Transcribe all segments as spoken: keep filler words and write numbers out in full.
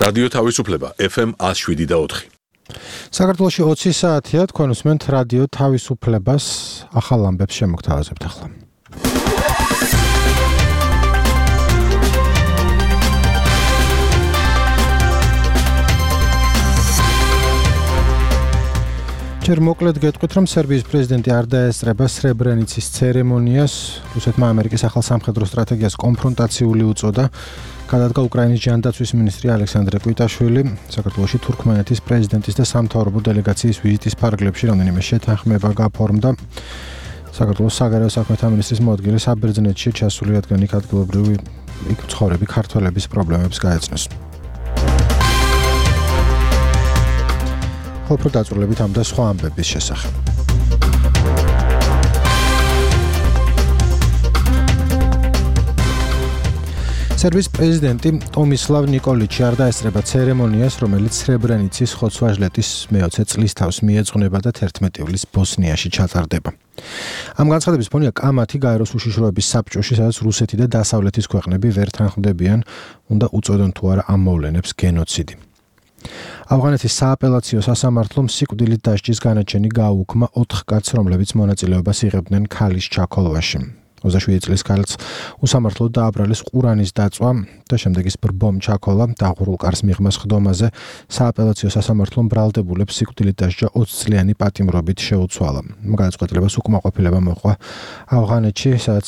რადიო თავისუფლება ეფ ემ one oh seven და four. საქართველოში ოცი საათია, თქვენ უსმენთ რადიო თავისუფლებას, ახალ ამბებს შემოგთავაზებთ ახლა. ჯერ მოკლედ გეტყვით, რომ სერბიის პრეზიდენტი არ დაესწრება სრებრენიცის ცერემონიას, რუსეთმა ამერიკის ახალ სამხედრო სტრატეგიას კონფრონტაციული უწოდა. გადადგა უკრაინის ჯანდაცვის მინისტრი ალექსანდრე კვიტაშვილი, საქართველოში თურქმენეთის პრეზიდენტის და სამთავრობო დელეგაციის ვიზიტის ფარგლებში რამდენიმე შეთანხმება გაფორმდა. საქართველოს საგარეო საქმეთა მინისტრის მოადგილე საბერძნეთში ჩასული, რადგან იქ ადგილობრივი იქ მცხოვრები ქართველების პრობლემებს გაეცნოს. ხოლო დაწვრილებით ამ და სხვა ამბების შესახებ. სერბიის პრეზიდენტი ტომისლავ ნიკოლიჩი არ დაესწრება ცერემონიას, რომელიც სრებრენიცის ხოცვა-ჟლეტის მეოცე წლისთავს მიეძღვნება და თერთმეტი ივლის ბოსნიაში ჩატარდება. ამ განცხადების ფონია კამათი გაეროს უშიშროების საბჭოში, სადაც რუსეთი და დასავლეთის ქვეყნები ვერ თანხმდებიან, უნდა უწოდონ თუ არა ამ მოვლენებს გენოციდი. ავღანეთის სააპელაციო სასამართლომ სიკვდილით დასჯის განაჩენი გააუქმა ოთხ კაცს, რომლებიც მონაწილეობას იღებდნენ ქალის ჩაქოლვაში. ოცდაშვიდი წლის ქალს უსამართლოდ დააბრალეს ყურანის დაწვა და შემდეგ ის ბრბომ ჩაქოლა დაღურულ კარს მიღმა სხდომაზე. სააპელაციო სასამართლომ ბრალდებულებს სიკვდილით დასჯა ოცი წლიანი პატიმრობით შეუცვალა. გადაწყვეტილებას უკმაყოფილება მოჰყვა ავღანეთში, სადაც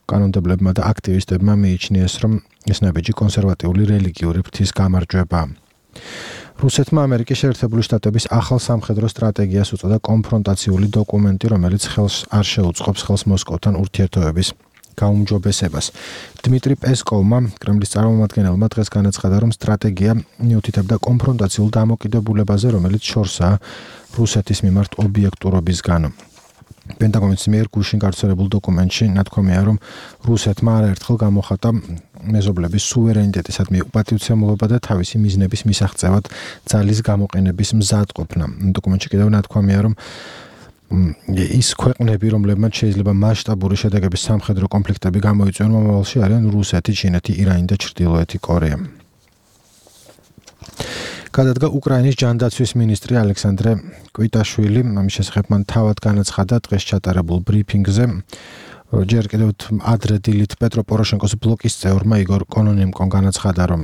კანონმდებლებმა და აქტივისტებმა მიიჩნიეს, რომ ეს ნაბიჯი კონსერვატიული რელიგიური ფრთის გამარჯვებაა. რუსეთმა ამერიკის შეერთებული შტატების ახალ სამხედრო სტრატეგიას უწოდა კონფრონტაციული დოკუმენტი, რომელიც ხელს არ შეუწყობს ხელს მოსკოვთან ურთიერთობების გაუმჯობესებას. დმიტრი პესკოვმა, კრემლის წარმომადგენელმა დღეს განაცხადა, რომ სტრატეგია მიუთითებდა კონფრონტაციულ დამოკიდებულებაზე, რომელიც შორსაა რუსეთის მიმართ ობიექტურობისგან. პენტაგონის მიერ გუშინ გავრცელებულ დოკუმენტში ნათქვამია, რომ რუსეთმა არაერთხელ გამოხატა მეზობლების სუვერენიტეტისადმი უპატივცემულობა და თავისი მიზნების მისაღწევად ძალის გამოყენების მზადყოფნა. დოკუმენტში კიდევ ნათქვამია, რომ ის ქვეყნები, რომლებმაც შეიძლება მასშტაბური შედეგების სამხედრო კონფლიქტები გამოიწვიონ მომავალში, არიან რუსეთი, ჩინეთი, ირანი და ჩრდილოეთი კორეა. გადადგა უკრაინის ჯანდაცვის მინისტრი ალექსანდრე კვიტაშვილი, ამის შესახებ მან თავად განაცხადა დღეს ჩატარებულ ბრიფინგზე. ჯერ კიდევ ადრე დილით პეტრო პოროშენკოს ბლოკის წევრმა იგორ კონონენკომ განაცხადა, რომ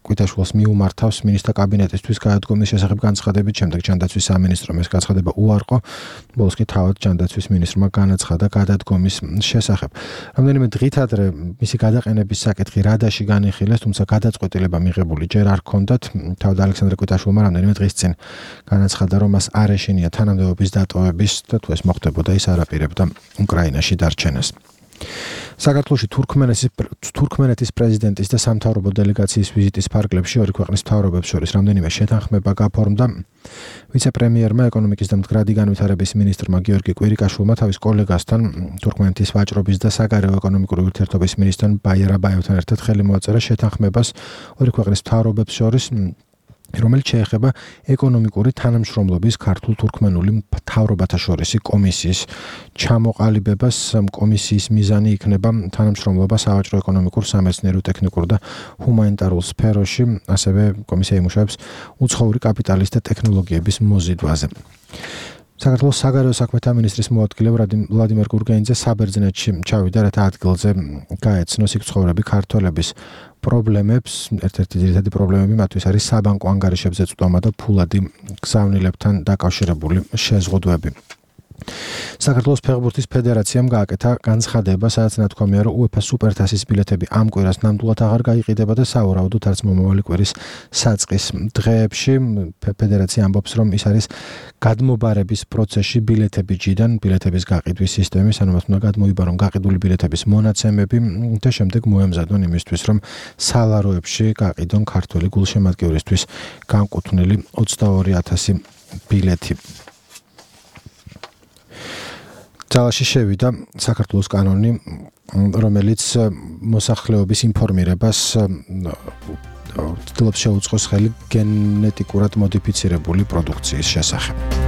კვიტაშვილს მიუმართავს მინისტრთა კაბინეტისთვის გადადგომის შესახებ განცხადებით, შემდეგ ჯანდაცვის სამინისტრომ ეს განცხადება უარყო. ბოლოს კი თავად ჯანდაცვის მინისტრმა განაცხადა გადადგომის შესახებ. რამდენიმე დღით ადრე მისი გადაყენების საკითხი რადაში განიხილეს, თუმცა გადაწყვეტილება მიღებული ჯერ არ ჰქონდათ. თავად ალექსანდრე კვიტაშვილმა რამდენიმე დღის წინ განაცხადა, რომ მას არ ეშინია თანამდებობის დატოვების და თუ ეს მოხდებოდა, ის არ აპირებდა უკრაინაში დარჩენას. საქართველოში თურქმენეთის თურქმენეთის პრეზიდენტის და სამთავრობო დელეგაციის ვიზიტის ფარგლებში ორი ქვეყნის მთავრობებს შორის რამდენიმე შეთანხმება გაფორმდა. ვიცე-პრემიერმა, ეკონომიკის და მდგრადი განვითარების მინისტრმა გიორგი კვირიკაშვილმა თავის კოლეგასთან, თურქმენეთის ვაჭრობის და საგარეო ეკონომიკური ურთიერთობების მინისტრთან ბაიარ აბაევთან ერთად ხელი მოაწერა შეთანხმებას ორი ქვეყნის მთავრობებს შორის, რომელიც შეეხება ეკონომიკური თანამშრომლობის ქართულ-თურქმენული მთავრობათა შორისი კომისიის ჩამოყალიბებას. კომისიის მიზანი იქნება თანამშრომლობა სავაჭრო, ეკონომიკურ, სამეცნიერო, ტექნიკურ და ჰუმანიტარულ სფეროში, ასევე კომისია იმუშავებს უცხოური კაპიტალის და ტექნოლოგიების მოზიდვაზე. საქართველოს საგარეო საქმეთა მინისტრის მოადგილე ვლადიმერ გურგენიძე საბერძნეთში ჩავიდა, რათა ადგილზე გაეცნოს იქ მცხოვრები ქართველების პრობლემებს. ერთ-ერთი ძირითადი პრობლემები მათთვის არის საბანკო ანგარიშებზე წვდომა და ფულადი გზავნილებთან დაკავშირებული შეზღუდვები. საქართველოს ფეხბურთის ფედერაციამ გააკეთა განცხადება, სადაც ნათქვამია, რომ უეფა სუპერთასის ბილეთები ამ კვირას ნამდვილად აღარ გაიყიდება და სავარაუდოდ არც მომავალი კვირის საწყის დღეებში. ფედერაცია ამბობს, რომ ის არის გადმობარების პროცესში ბილეთები ჯიდან, ბილეთების გაყიდვის სისტემის, ანუ მათ უნდა გადმოიბარონ გაყიდული ბილეთების მონაცემები და შემდეგ მოემზადონ იმისთვის, რომ სალაროებში გაყიდონ ქართველი გულშემატკივრისთვის განკუთვნილი ოცდაორი ათასი ბილეთი. ძალაში შევიდა საქართველოს კანონი, რომელიც მოსახლეობის ინფორმირებას ცდილობს შეუწყოს ხელი გენეტიკურად მოდიფიცირებული პროდუქციის შესახებ.